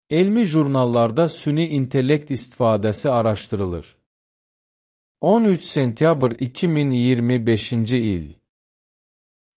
Elmi jurnallarda süni intellekt istifadəsi araşdırılır. 13 sentyabr 2025-ci il.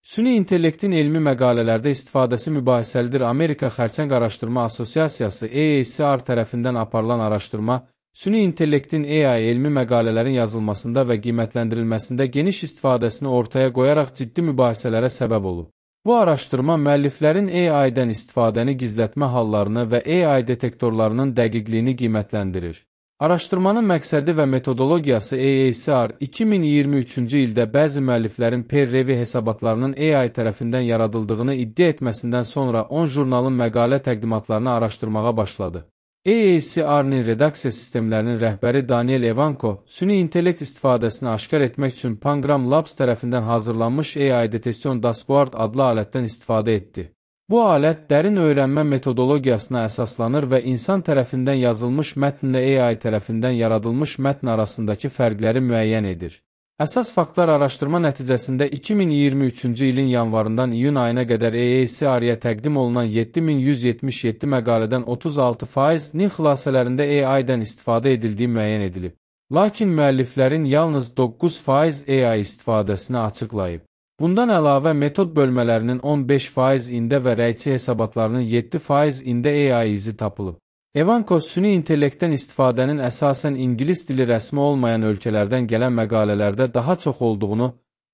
Süni intellektin elmi məqalələrdə istifadəsi mübahisəlidir. Amerika Xərçəng Araşdırma Assosiasiyası AACR tərəfindən aparılan araşdırma, süni intellektin AI elmi məqalələrin yazılmasında və qiymətləndirilməsində geniş istifadəsini ortaya qoyaraq ciddi mübahisələrə səbəb olub. Bu araşdırma müəlliflərin AI-dən istifadəni gizlətmə hallarını və AI detektorlarının dəqiqliyini qiymətləndirir. Araşdırmanın məqsədi və metodologiyası AACR 2023-cü ildə bəzi müəlliflərin peer-review hesabatlarının AI tərəfindən yaradıldığını iddia etməsindən sonra 10 jurnalın məqalə təqdimatlarını araşdırmağa başladı. AACR-nin redaksiya sistemlərinin rəhbəri Daniel Evanko, süni intellekt istifadəsini aşkar etmək üçün Pangram Labs tərəfindən hazırlanmış AI Detection Dashboard adlı alətdən istifadə etdi. Bu alət dərin öyrənmə metodologiyasına əsaslanır və insan tərəfindən yazılmış mətnlə AI tərəfindən yaradılmış mətn arasındakı fərqləri müəyyən edir. Əsas faktlar araşdırma nəticəsində 2023-cü ilin yanvarından iyun ayına qədər AACR-ya təqdim olunan 7177 məqalədən 36%-nin xülasələrində AI-dən istifadə edildiyi müəyyən edilib. Lakin müəlliflərin yalnız 9% AI istifadəsini açıqlayıb. Bundan əlavə, metod bölmələrinin 15%-ində və rəyçi hesabatlarının 7%-ində AI izi tapılıb. Evanko süni intellektdən istifadənin əsasən ingilis dili rəsmi olmayan ölkələrdən gələn məqalələrdə daha çox olduğunu,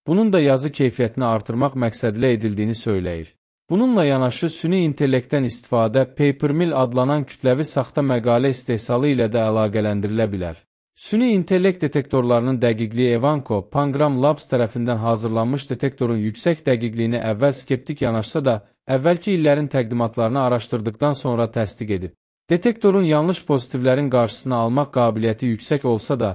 bunun da yazı keyfiyyətini artırmaq məqsədilə edildiyini söyləyir. Bununla yanaşı, süni intellektdən istifadə papermill adlanan kütləvi saxta məqalə istehsalı ilə də əlaqələndirilə bilər. Süni intellekt detektorlarının dəqiqliyi Evanko, Pangram Labs tərəfindən hazırlanmış detektorun yüksək dəqiqliyini əvvəl skeptik yanaşsa da, əvvəlki illərin təqdimatlarını araşdırdıqdan sonra təsdiq edib. Detektorun yanlış pozitivlərin qarşısını almaq qabiliyyəti yüksək olsa da,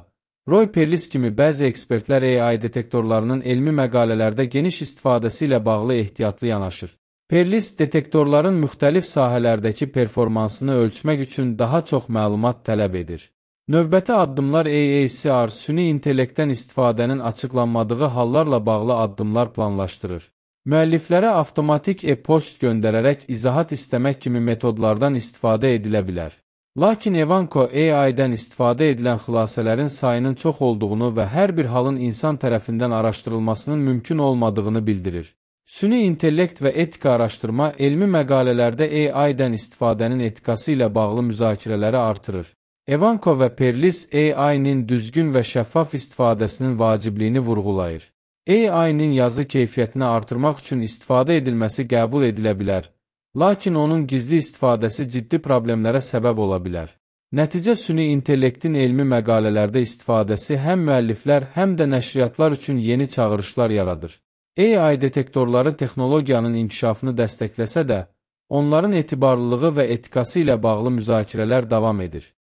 Roy Perlis kimi bəzi ekspertlər AI detektorlarının elmi məqalələrdə geniş istifadəsi ilə bağlı ehtiyatlı yanaşır. Perlis, detektorların müxtəlif sahələrdəki performansını ölçmək üçün daha çox məlumat tələb edir. Növbəti addımlar AACR süni intellektdən istifadənin açıqlanmadığı hallarla bağlı addımlar planlaşdırır. Müəlliflərə avtomatik e-poçt göndərərək izahat istəmək kimi metodlardan istifadə edilə bilər. Lakin Evanko AI-dən istifadə edilən xülasələrin sayının çox olduğunu və hər bir halın insan tərəfindən araşdırılmasının mümkün olmadığını bildirir. Süni intellekt və etika araşdırma elmi məqalələrdə AI-dən istifadənin etikası ilə bağlı müzakirələri artırır. Evanko və Perlis AI-nin düzgün və şəffaf istifadəsinin vacibliyini vurğulayır. AI-nin yazı keyfiyyətini artırmaq üçün istifadə edilməsi qəbul edilə bilər, lakin onun gizli istifadəsi ciddi problemlərə səbəb ola bilər. Nəticə süni intellektin elmi məqalələrdə istifadəsi həm müəlliflər, həm də nəşriyyatlar üçün yeni çağırışlar yaradır. AI detektorları texnologiyanın inkişafını dəstəkləsə də, onların etibarlılığı və etikası ilə bağlı müzakirələr davam edir.